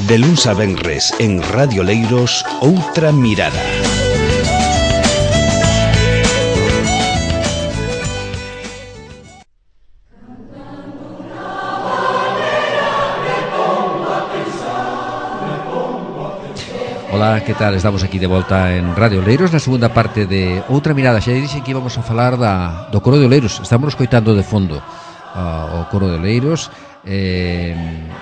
De luns a venres en Radio Leiros, Outra Mirada. Ola, que tal? Estamos aquí de volta en Radio Oleiros na segunda parte de Outra Mirada. Xa dixen que íbamos a falar do coro de Oleiros. Estamos coitando de fondo o coro de Oleiros.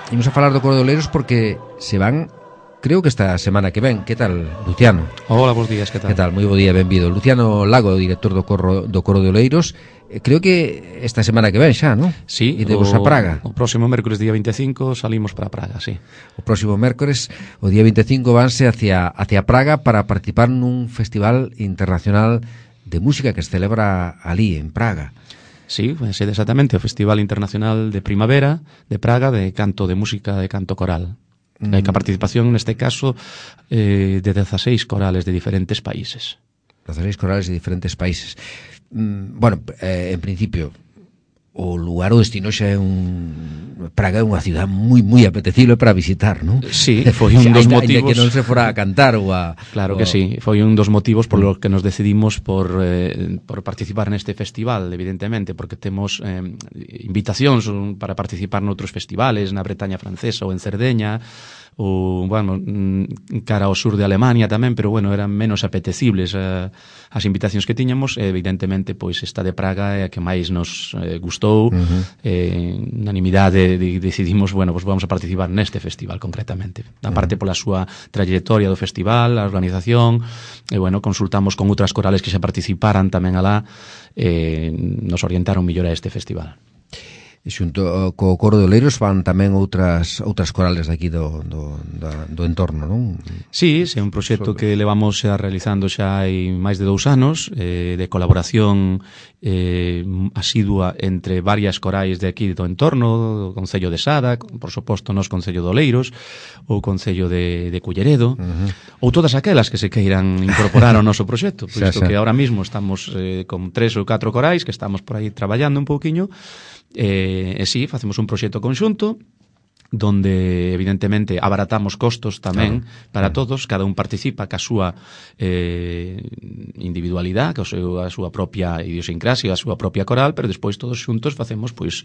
Imos a falar do coro de Oleiros porque se van, creo que esta semana que ven. Que tal, Luciano? Hola, bons días, que tal? Que tal? Moi bo día, benvido. Luciano Lago, director do coro de Oleiros. Creo que esta semana que ven xa, non? Sí, idemos a Praga. O próximo mércoles día 25 salimos para Praga, sí. O próximo mércoles, o día 25, vanse hacia Praga para participar nun festival internacional de música que se celebra ali, en Praga. Sí, pues exactamente, o Festival Internacional de Primavera de Praga de canto de música de canto coral. Hai que a participación neste caso de 16 corales de diferentes países. 16 corales de diferentes países. Bueno, en principio o lugar o destino xa é Praga é unha cidade moi apetecible para visitar, non? Sí, foi un dos motivos que non se fora a cantar ou a... Claro que sí, foi un dos motivos por los que nos decidimos por participar neste festival, evidentemente, porque temos invitacións para participar noutros festivales, na Bretaña francesa ou en Cerdeña, ou, bueno, cara ao sur de Alemania tamén, pero, bueno, eran menos apetecibles as invitacións que tiñamos. Evidentemente, pois, esta de Praga é a que máis nos gustou. Unanimidade decidimos, bueno, pois vamos a participar neste festival concretamente. A parte pola súa trayectoria do festival, a organización, e, bueno, consultamos con outras corales que xa participaran tamén alá, nos orientaron mellor a este festival. E xunto co coro de Oleiros van tamén outras corales daqui do entorno, non? Sí, é un proxecto que levamos xa realizando xa hai máis de 2 anos, de colaboración asidua entre varias corais de aquí do entorno, do Concello de Sada, por suposto nos Concello de Oleiros, ou Concello de Culleredo, ou todas aquelas que se queiran incorporar ao noso proxecto, posto que ahora mismo estamos con 3 ou 4 corais que estamos por aí traballando un pouquiño. E sí, facemos un proxecto conxunto donde evidentemente abaratamos costos tamén para todos, cada un participa ca súa individualidade, a súa propia idiosincrasia, a súa propia coral, pero despois todos xuntos facemos pois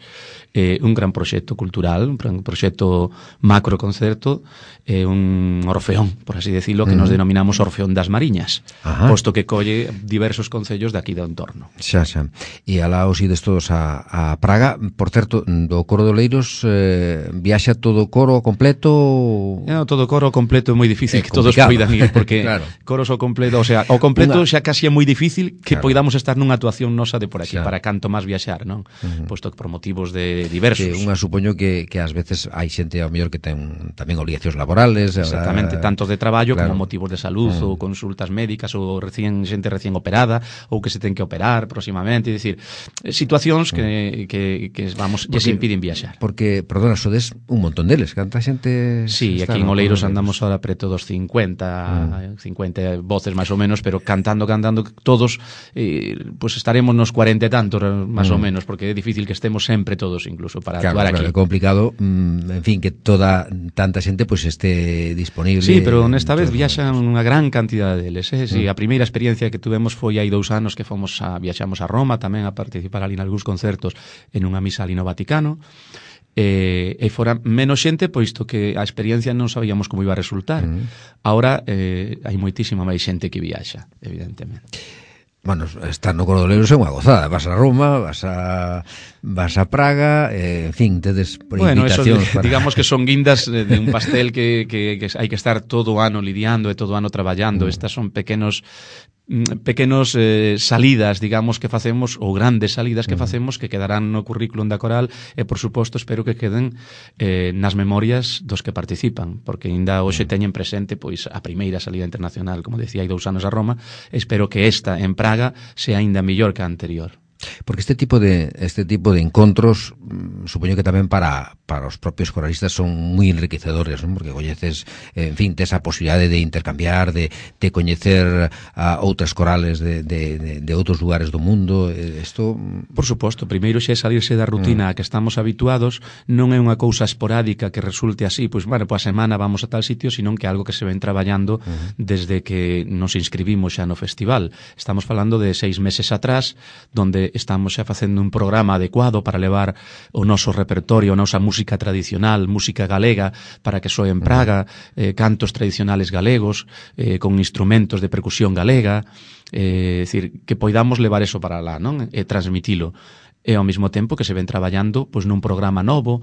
un gran proxecto cultural, un proxecto macroconcerto, un orfeón, por así decirlo, que nos denominamos Orfeón das Mariñas, posto que colle diversos concellos de aquí do entorno. Xa. E alá os ides todos a Praga. Por certo, do coro de Oleiros viaxa todo o coro completo? No, todo o coro completo é moi difícil que todos poidan ir, porque claro, coros ao completo, o sea, o completo xa casi é moi difícil que poidamos estar nunha actuación nosa de por aquí, para canto máis viaxar, non? Posto que por motivos de diversos. Que unha supoño que ás veces hai xente ao mellor que ten tamén obligacións laborales. Exactamente, tanto de traballo como motivos de salud ou consultas médicas ou xente recién operada ou que se ten que operar próximamente, é dicir, situacións que vamos, lles impiden viaxar. Porque, perdona, sodes un montón deles, canta xente... Sí, aquí en Oleiros andamos ahora preto dos 50 voces máis ou menos, pero cantando todos, pues estaremos nos 40 e tantos máis ou menos, porque é difícil que estemos sempre todos incluso para actuar aquí. Claro, é complicado, en fin, que tanta xente pues esté disponible. Sí, pero nesta vez viaxan unha gran cantidade deles, Sí, a primeira experiencia que tuvemos foi hai 2 anos que viaxamos a Roma tamén a participar ali en algúns concertos en unha misa ali no Vaticano. E fora menos xente, poisto que a experiencia non sabíamos como iba a resultar. Ahora hai moitísima máis xente que viaxa, evidentemente. Bueno, estar no coro de Oleiros é unha gozada. Vas a Roma, vas a Praga, en fin, tedes invitacións para... digamos que son guindas de un pastel que hai que estar todo o ano lidiando e todo o ano traballando. Estas son pequenos salidas, digamos, que facemos, ou grandes salidas que facemos, que quedarán no currículum da coral e, por suposto, espero que queden nas memorias dos que participan, porque ainda hoxe teñen presente pois a primeira salida internacional, como decía, hai 2 anos a Roma. Espero que esta en Praga sea ainda mellor que a anterior. Porque este tipo de encontros, supoño que tamén para os propios coralistas son moi enriquecedores, non? Porque coñeces, en fin, tes a posibilidade de intercambiar, de coñecer a outras corales de outros lugares do mundo. Isto, por suposto, primeiro xe salirse da rutina a que estamos habituados, non é unha cousa esporádica que resulte así, pois, bueno, pois a semana vamos a tal sitio, senón que é algo que se ven traballando desde que nos inscribimos xa no festival. Estamos falando de 6 meses atrás, donde estamos xa facendo un programa adecuado para levar o noso repertorio, a nosa música tradicional, música galega, para que soe en Praga, cantos tradicionales galegos, con instrumentos de percusión galega, decir, que poidamos levar eso para lá, non? E transmitilo. E ao mesmo tempo que se ven traballando pois nun programa novo,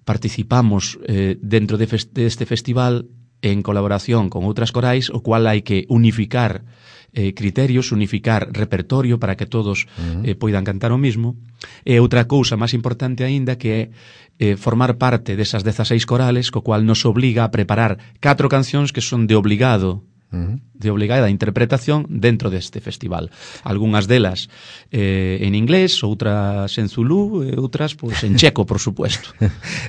participamos dentro deste festival en colaboración con outras corais, o cual hai que unificar criterios, unificar repertorio para que todos poidan cantar o mismo. E outra cousa máis importante aínda que é formar parte desas 16 corales, co cual nos obliga a preparar 4 cancións que son de obligada interpretación dentro deste festival. Algúnas delas en inglés, outras en zulú e outras pois en checo, por supuesto.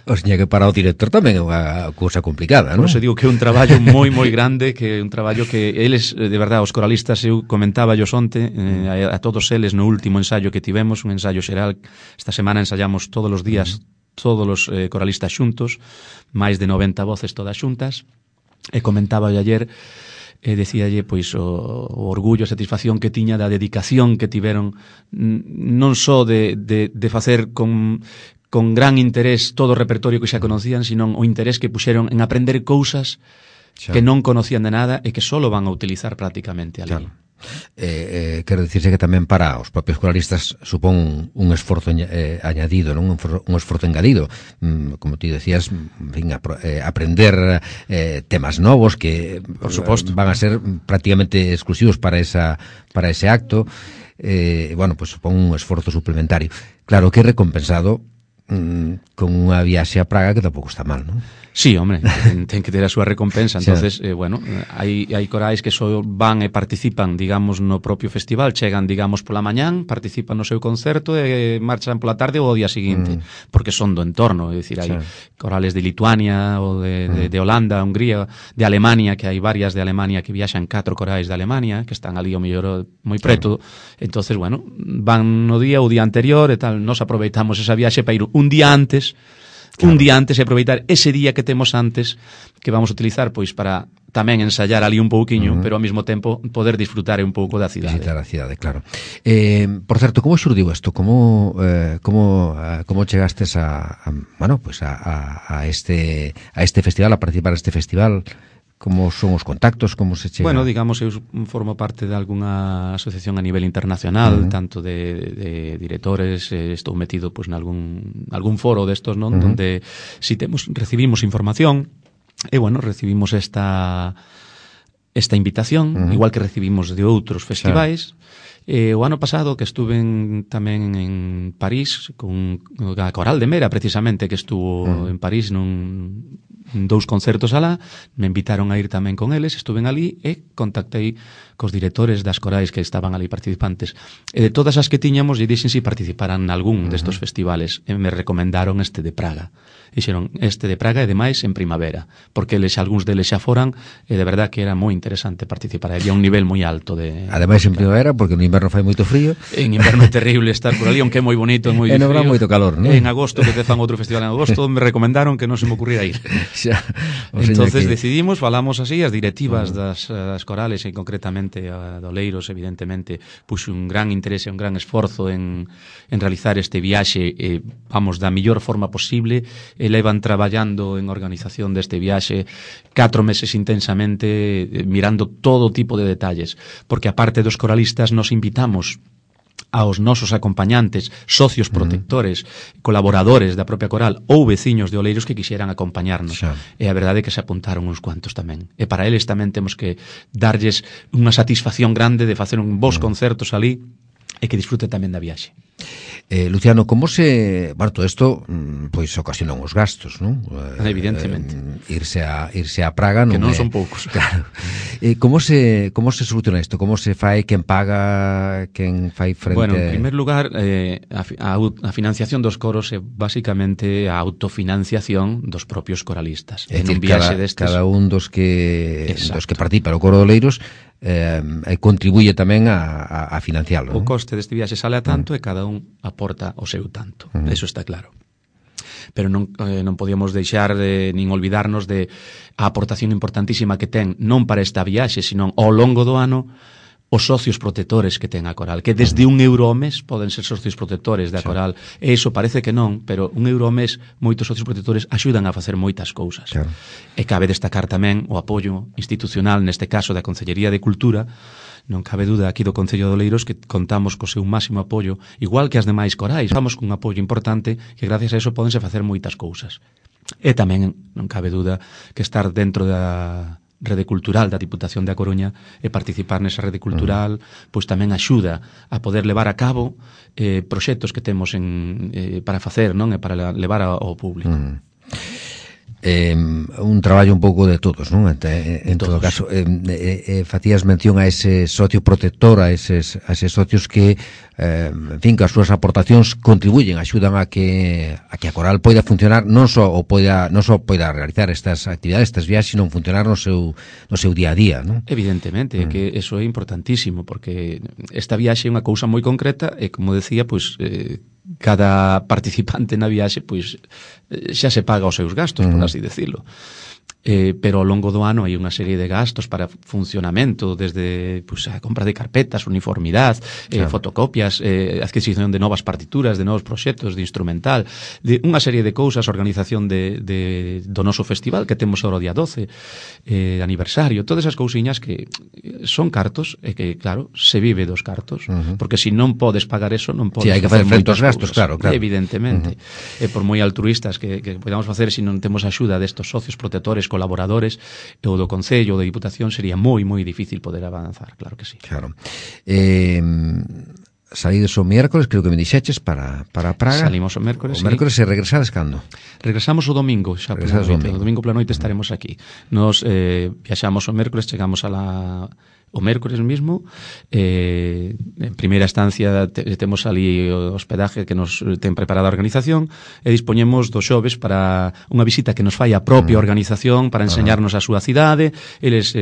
O sea que para o director tamén é unha cousa complicada, non? Por eso digo que é un traballo moi grande, que é un traballo que eles, de verdade, os coralistas, eu comentaba yo onte a todos eles no último ensaio que tivemos, un ensaio xeral. Esta semana ensayamos todos os días, todos os coralistas xuntos, máis de 90 voces todas xuntas, e comentaba ayer, decíalle pois o orgullo, a satisfacción que tiña da dedicación que tiveron, non só de facer con gran interés todo o repertorio que xa conocían, sino o interés que puxeron en aprender cousas que non conocían de nada e que só van a utilizar prácticamente ali. Claro. Quero dicirse que tamén para os propios coralistas supón un esforzo añadido, non? Un esforzo engadido, como ti decías, en fin, aprender temas novos que, por suposto, van a ser prácticamente exclusivos para ese acto. Bueno, pues supón un esforzo suplementario. Claro que é recompensado con unha viaxe a Praga que tampouco está mal, non? Sí, hombre, ten que ter a súa recompensa. Entonces, bueno, hai corais que só van e participan, digamos, no propio festival, chegan, digamos, pola mañán, participan no seu concerto e marchan pola tarde ou o día seguinte, porque son do entorno, é dicir, hai corales de Lituania ou de Holanda, Hungría, de Alemania, que hai varias de Alemania que viaxan 4 corais de Alemania, que están ali ao mellor moi preto. Entonces, bueno, van no día ou día anterior e tal, nos aproveitamos esa viaxe para ir un día antes, e aproveitar ese día que temos antes, que vamos a utilizar pois para tamén ensayar ali un pouquiño, pero ao mesmo tempo poder disfrutar un pouco da cidade. Visitar a cidade, claro. Por certo, como xurdiu isto? Como chegastes a este festival, a participar neste festival? Como son os contactos, como se chega? Bueno, digamos, eu formo parte de algunha asociación a nivel internacional, tanto de directores, estou metido pois nalgún foro destos, non? Donde si recibimos información, e bueno, recibimos esta invitación, igual que recibimos de outros festivais. O ano pasado que estuve tamén en París con a Coral de Mera, precisamente, que estuvo en París nun 2 concertos alá, me invitaron a ir tamén con eles, estuven ali e contactei cos directores das corais que estaban ali participantes. E de todas as que tiñamos, lle dixen si participaran nalgún destos festivales, e me recomendaron este de Praga. Dixeron, este de Praga e demais en primavera, porque algúns deles xa foran, e de verdad que era moi interesante participar, había un nivel moi alto de... Ademais en primavera, porque no inverno fai moito frío. En inverno é terrible estar por ali, aunque é moi bonito, é moi frío. E no verán moito calor, non? En agosto, que te fan outro festival en agosto, me recomendaron que non se me ocurriera ir. Entonces decidimos, falamos así, as directivas das corales, e concretamente a Doleiros, evidentemente, puxo un gran interese, un gran esforzo en realizar este viaxe, vamos, da mellor forma posible, e levan traballando en organización deste viaxe 4 meses intensamente, mirando todo tipo de detalles, porque aparte dos coralistas nos invitamos aos nosos acompañantes, socios protectores, colaboradores da propia coral ou veciños de Oleiros que quixeran acompañarnos. E a verdade é que se apuntaron uns cuantos tamén. E para eles tamén temos que darlles unha satisfacción grande de facer un bons concertos ali e que disfrute tamén da viaxe. Luciano, como se... Bueno, todo isto pois ocasiona uns gastos, non? Evidentemente. Irse a Praga non que non é... son poucos. Claro. Como se soluciona isto? Como se fai, quen paga, quen fai frente... Bueno, en primer lugar, a financiación dos coros é basicamente a autofinanciación dos propios coralistas. É dicir, cada un dos que participa no coro de Oleiros contribuye tamén a financiarlo. O coste deste viaxe sale a tanto e cada un aporta o seu tanto. Eso está claro. Pero non podíamos deixar nin olvidarnos de a aportación importantísima que ten non para esta viaxe, sino ao longo do ano os socios protectores que ten a Coral, que desde €1 ao mes poden ser socios protectores da Coral. E iso parece que non, pero €1 ao mes moitos socios protectores axudan a facer moitas cousas. Claro. E cabe destacar tamén o apoio institucional, neste caso da Consellería de Cultura. Non cabe dúda aquí do Concello de Oleiros que contamos co seu máximo apoio, igual que as demais corais. Contamos cun apoio importante que gracias a eso pódense facer moitas cousas. E tamén non cabe dúda que estar dentro da rede cultural da Diputación da Coruña e participar nesa rede cultural pois tamén axuda a poder levar a cabo proxectos que temos para facer, non, e para levar ao público. Un traballo un pouco de todos, non? En todo caso, facías mención a ese socio protector, a eses socios que, en fin, que as súas aportacións contribuyen, axudan a que a Coral poida funcionar, non só poida realizar estas actividades, estas viaxes, sino funcionar no seu día a día, non? Evidentemente, que eso é importantísimo, porque esta viaxe é unha cousa moi concreta e, como decía, pois cada participante na viaxe pois xa se paga os seus gastos, por así decirlo. Pero ao longo do ano hai unha serie de gastos para funcionamento, desde pois, a compra de carpetas, uniformidade, fotocopias, adquisición de novas partituras, de novos proxectos, de instrumental, de unha serie de cousas, organización do noso festival que temos ahora o día 12, aniversario, todas esas cousiñas que son cartos e que, claro, se vive dos cartos, porque se non podes pagar eso, non podes hai que facer frente aos gastos, claro. Evidentemente. E por moi altruistas que podamos facer, se non temos axuda destos socios protectores, colaboradores, e o do Concello, ou da Diputación, sería moi, moi difícil poder avanzar, claro que sí. Claro. Saídes o miércoles, creo que me dixeches, para Praga. Salimos o miércoles, O miércoles e regresades cando? Regresamos o domingo, xa pola noite. O domingo pola noite estaremos aquí. Nos viaxamos o miércoles, chegamos o mércores mismo, en primeira estancia temos ali o hospedaje que nos ten preparada a organización e dispoñemos do xoves para unha visita que nos fai a propia organización para enseñarnos a súa cidade. Eles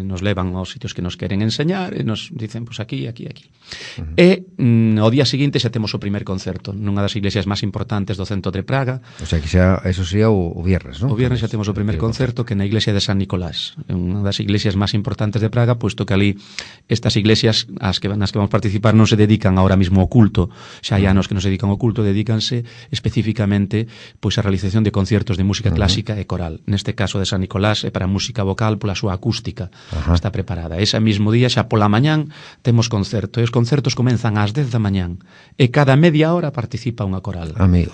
nos levan aos sitios que nos queren enseñar e nos dicen, pois aquí. E ao día seguinte xa temos o primer concerto nunha das iglesias máis importantes do centro de Praga. O sea, que eso sería o viernes, non? O viernes xa temos o primer concerto, que na iglesia de San Nicolás, unha das iglesias máis importantes de Praga, pois que ali estas iglesias nas que vamos participar non se dedican ahora mismo ao culto, xa hai anos que non se dedican ao culto, dedícanse especificamente pois a realización de conciertos de música clásica e coral. Neste caso de San Nicolás é para música vocal pola súa acústica. Está preparada. Ese mesmo día xa pola mañán temos concerto, e os concertos comenzan ás 10 da mañán e cada media hora participa unha coral. Amigo.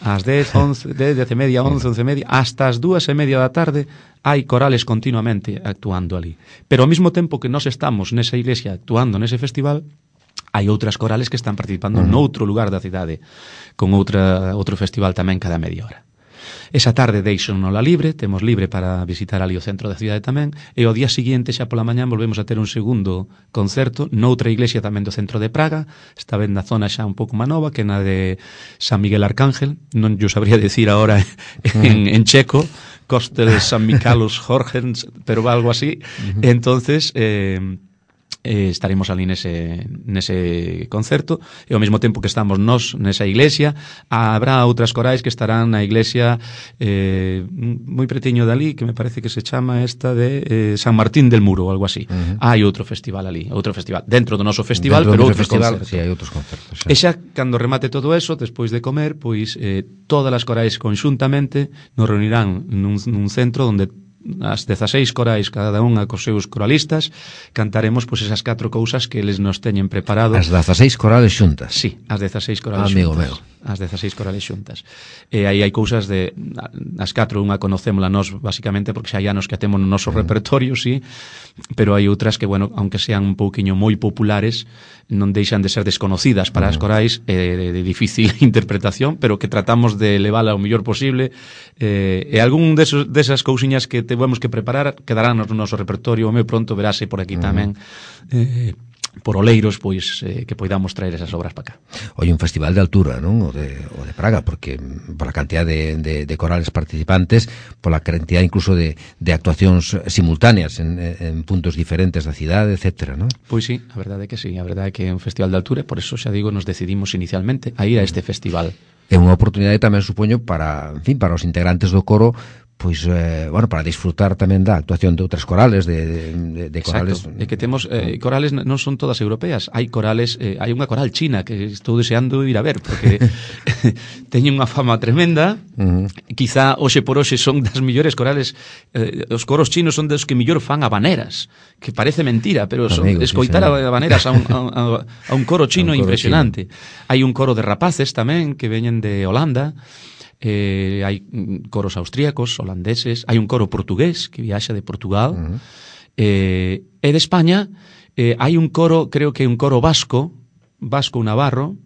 Ás 10, 11, 10:30, 11, 11:30, hasta as 2:30 da tarde hai corales continuamente actuando ali. Pero ao mesmo tempo que nós estamos nesa iglesia actuando nese festival, hai outras corales que están participando noutro lugar da cidade, con outro festival tamén cada media hora. Esa tarde deixonola libre, temos libre para visitar ali o centro da cidade tamén, e ao día seguinte, xa pola mañán, volvemos a ter un segundo concerto noutra iglesia tamén do centro de Praga, esta vez na zona xa un pouco má nova, que na de San Miguel Arcángel, non yo sabría decir ahora en checo, Kostel San Michalos Jorgens, pero algo así. Entonces estaremos ali nese concerto, e ao mesmo tempo que estamos nós nesa iglesia, habrá outras corais que estarán na iglesia moi pretiño dali, que me parece que se chama esta de San Martín del Muro ou algo así. Hai outro festival ali, dentro do noso festival, pero outro festival. Sí, hai outros concertos. E xa cando remate todo eso, despois de comer, pois todas as corais conxuntamente nos reunirán nun centro onde as 16 corais, cada unha cos seus coralistas, cantaremos pois esas 4 cousas que eles nos teñen preparado. As 16 corales xuntas. Sí, as 16 corales amigo xuntas. Meu. As 16 corales xuntas. E aí hai cousas de as 4, unha conocémola nós basicamente porque xa hai anos que a temos no noso repertorio, sí, pero hai outras que, bueno, aunque sean un pouquiño moi populares, non deixan de ser desconocidas para as corais, de difícil interpretación, pero que tratamos de levala o mellor posible, e algún desas cousiñas que temos que preparar quedarán no noso repertorio, moi pronto verase por aquí tamén, por Oleiros, pois que poidamos traer esas obras para cá. Hoy un festival de altura, non? O de Praga, porque por a cantidad de corales participantes, por la cantidad incluso de actuacións simultáneas en puntos diferentes da cidade, etcétera, non? Pois sí, a verdade é que sí, a verdade é que é un festival de altura, e por eso xa digo, nos decidimos inicialmente a ir a este festival. É unha oportunidade tamén, supoño, para, en fin, para os integrantes do coro, pois, bueno, para disfrutar tamén da actuación de outras corales, de corales. Exacto, é que temos corales non son todas europeas, hai corales, hai unha coral china que estou deseando ir a ver, porque teñen unha fama tremenda, quizá hoxe por hoxe son das mellores corales, os coros chinos son dos que mellor fan habaneras, que parece mentira, pero escoitar habaneras a un coro chino impresionante. Hai un coro de rapaces tamén que veñen de Holanda, hai coros austríacos, holandeses, hai un coro portugués que viaxa de Portugal, e de España hai un coro, creo que un coro vasco navarro,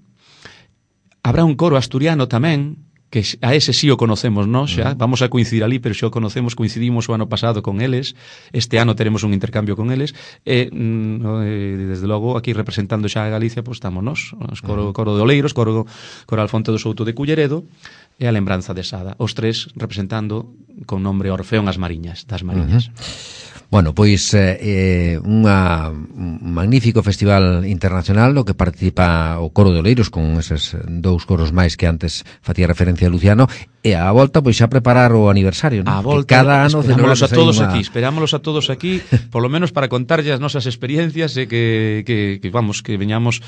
habrá un coro asturiano tamén, que a ese sí o conocemos nós xa, vamos a coincidir ali, pero xa o conocemos, coincidimos o ano pasado con eles, este ano teremos un intercambio con eles, e desde logo aquí representando xa a Galicia, pois estamos nós, coro de Oleiros, coro Alfonte do Souto de Culleredo, e a Lembranza de Sada, os tres representando con nombre Orfeón das Mariñas. Bueno, pois un magnífico festival internacional no que participa o Coro de Oleiros con eses 2 coros máis que antes facía referencia a Luciano, e a volta pois xa preparar o aniversario, non? A volta, que cada ano esperámolos a todos aquí, polo menos para contarlle as nosas experiencias e que veñamos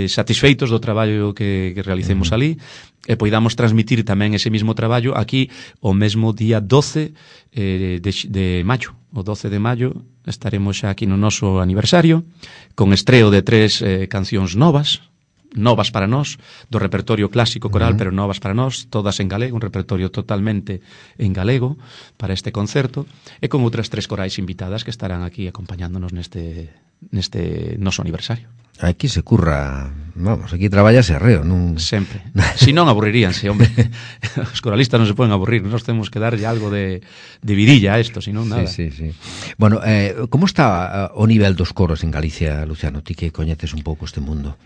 satisfeitos do traballo que realicemos ali, e poidamos transmitir tamén ese mismo traballo aquí o mesmo día 12 de maio. O 12 de maio estaremos xa aquí no noso aniversario con estreo de 3 cancións novas para nós, do repertorio clásico coral, pero novas para nós, todas en galego, un repertorio totalmente en galego para este concerto, e con outras 3 corais invitadas que estarán aquí acompañándonos neste noso aniversario. Aquí se curra, vamos, aquí traballase arreo, non? Sempre. Si non aburriríanse, hombre. Os coralistas non se poden aburrir, nós temos que darlle algo de vidilla a isto, si non nada. Sí. Bueno, como está o nivel dos coros en Galicia, Luciano? Ti que coñeces un pouco este mundo.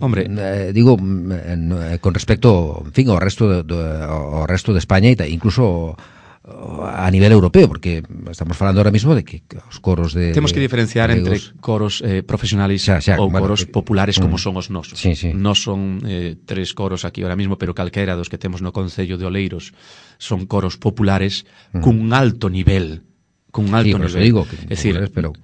Hombre, digo, con respecto, en fin, ao resto de España e incluso a nivel europeo, porque estamos falando ahora mismo de que os coros de... Temos que diferenciar entre coros profesionales ou coros populares como son os nosos. Sí. Nos son 3 coros aquí ahora mismo, pero calquera dos que temos no Concello de Oleiros son coros populares cun alto nivel. Digo, es decir, pero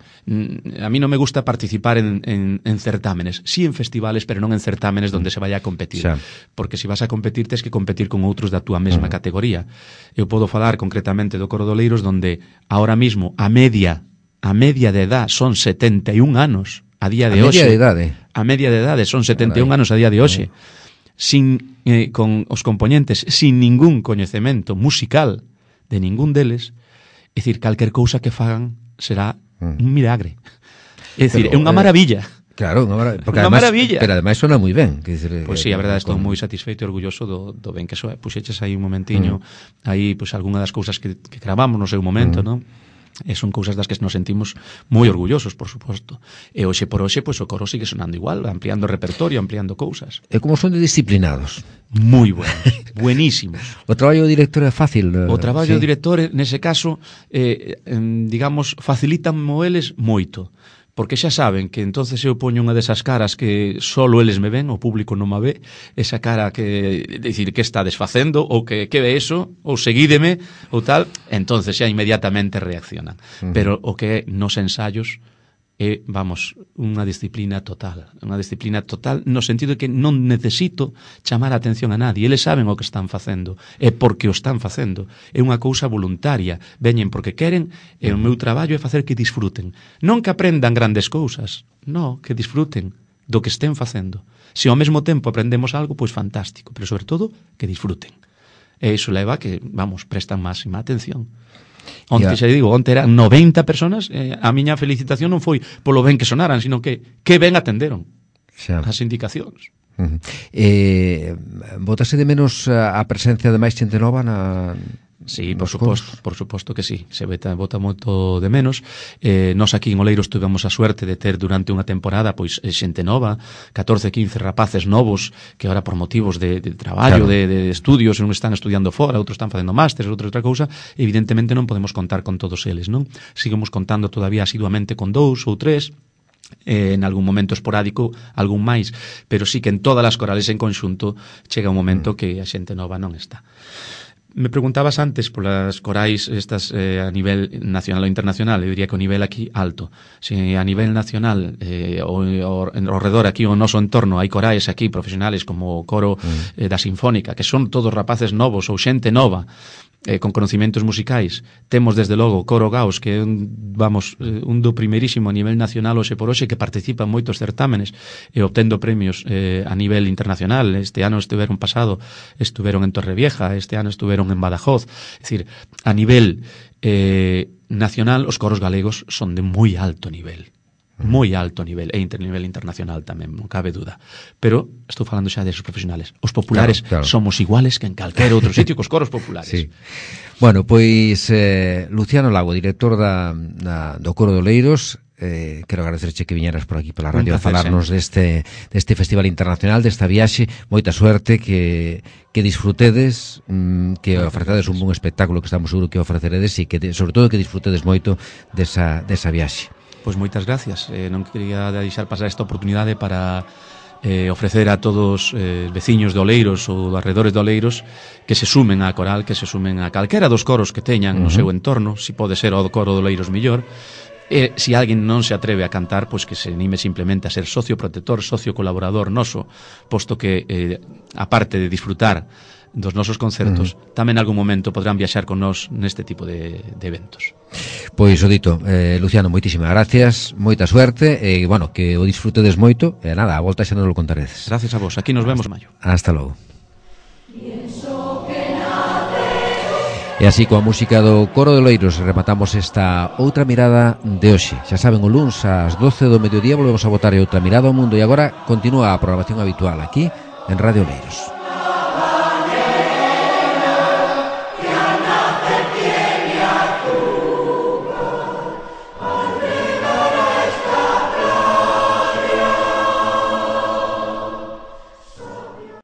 a mí non me gusta participar en certámenes, sí en festivales, pero non en certámenes donde se vaya a competir, porque se vas a competir tens que competir con outros da túa mesma categoría. Eu podo falar concretamente do Coro de Oleiros, donde ahora mismo a media de edad son 71 anos a día de hoxe. A media de edade son 71 anos a día de hoxe, con os componentes sin ningún coñecemento musical de ningún deles. É dicir, calquer cousa que fagan será un milagre. É dicir, é unha maravilla. Claro, unha maravilla. Pero ademais sona moi ben. Pois sí, a verdade, estou moi satisfeito e orgulloso do ben que soe. Puxeches aí un momentiño, aí, pois, algunha das cousas que gravamos no seu momento, non? E son cousas das que nos sentimos moi orgullosos, por suposto. E hoxe por hoxe, pois o coro sigue sonando igual, ampliando o repertorio, ampliando cousas. E como son de disciplinados? Moi buenos, buenísimos. O traballo do director é fácil? O traballo do director, nese caso, digamos, facilitanmo eles moito. Porque xa saben que entonces eu poño unha desas caras que solo eles me ven, o público non me ve, esa cara que, decir, que está desfacendo, ou que ve eso, ou seguídeme, ou tal, entonces xa inmediatamente reaccionan. Pero o que é nos ensayos, é, vamos, unha disciplina total no sentido de que non necesito chamar a atención a nadie, eles saben o que están facendo, é porque o están facendo, é unha cousa voluntaria, veñen porque queren, e o meu traballo é facer que disfruten, non que aprendan grandes cousas, non, que disfruten do que estén facendo. Se ao mesmo tempo aprendemos algo, pois fantástico, pero sobre todo que disfruten. E iso leva que, vamos, prestan máxima atención. Onte, xa digo, onte eran 90 personas, a miña felicitación non foi polo ben que sonaran, sino que ben atenderon as indicacións. Botase de menos a presencia de máis xente nova na... Sí, por suposto que sí, se bota moito de menos. Nos aquí en Oleiros tivemos a suerte de ter durante unha temporada pois xente nova, 14, 15 rapaces novos que ahora por motivos de traballo, claro, de estudios, uns están estudiando fora, outros están facendo másteres, outros outra cousa, evidentemente non podemos contar con todos eles, non? Seguimos contando todavía asiduamente con 2 ou 3, en algún momento esporádico algún máis, pero sí que en todas as corales en conxunto chega un momento que a xente nova non está. Me preguntabas antes polas corais estas a nivel nacional ou internacional. Eu diría que o nivel aquí alto. Se a nivel nacional ao redor aquí o noso entorno hai corais aquí profesionales como o coro da Sinfónica, que son todos rapaces novos ou xente nova con conocimientos musicais. Temos desde logo o Coro Gaos, que é un do primeirísimo a nivel nacional hoxe por hoxe, que participa en moitos certámenes e obtendo premios a nivel internacional. Este ano estuveron en Torrevieja, este ano estuveron en Badajoz. É dicir, a nivel nacional os coros galegos son de moi alto nivel, e nivel internacional tamén, non cabe duda. Pero estou falando xa desos profesionales. Os populares claro. Somos iguales que en calquera outro sitio cos coros populares. Sí. Bueno, pois Luciano Lago, director do Coro de Oleiros, quero agradecerche que viñeras por aquí pola radio a falarnos deste Festival Internacional, desta viaxe. Moita suerte, que disfrutedes, que ofrecedes un bon espectáculo, que estamos seguros que ofreceredes, e que sobre todo que disfrutedes moito desa viaxe. Pois moitas gracias. Non quería deixar pasar esta oportunidade para ofrecer a todos veciños de Oleiros ou de arredores de Oleiros que se sumen á coral, que se sumen a calquera dos coros que teñan no seu entorno, si pode ser o coro de Oleiros mellor. Se alguén non se atreve a cantar, pois que se anime simplemente a ser socio protector, socio colaborador noso, posto que aparte de disfrutar dos nosos concertos, tamén en algún momento podrán viaxar con nós neste tipo de eventos. Pois o dito, Luciano, moitísimas gracias, moita suerte, e bueno, que o disfrutedes moito, e nada, a volta xa nos lo contaredes. Gracias a vos, aquí nos vemos en maio. Hasta logo. E así, coa música do Coro de Oleiros, rematamos esta outra mirada de hoxe. Xa saben, o luns ás 12 do mediodía volvemos a botar outra mirada ao mundo, e agora continúa a programación habitual aquí en Radio Oleiros.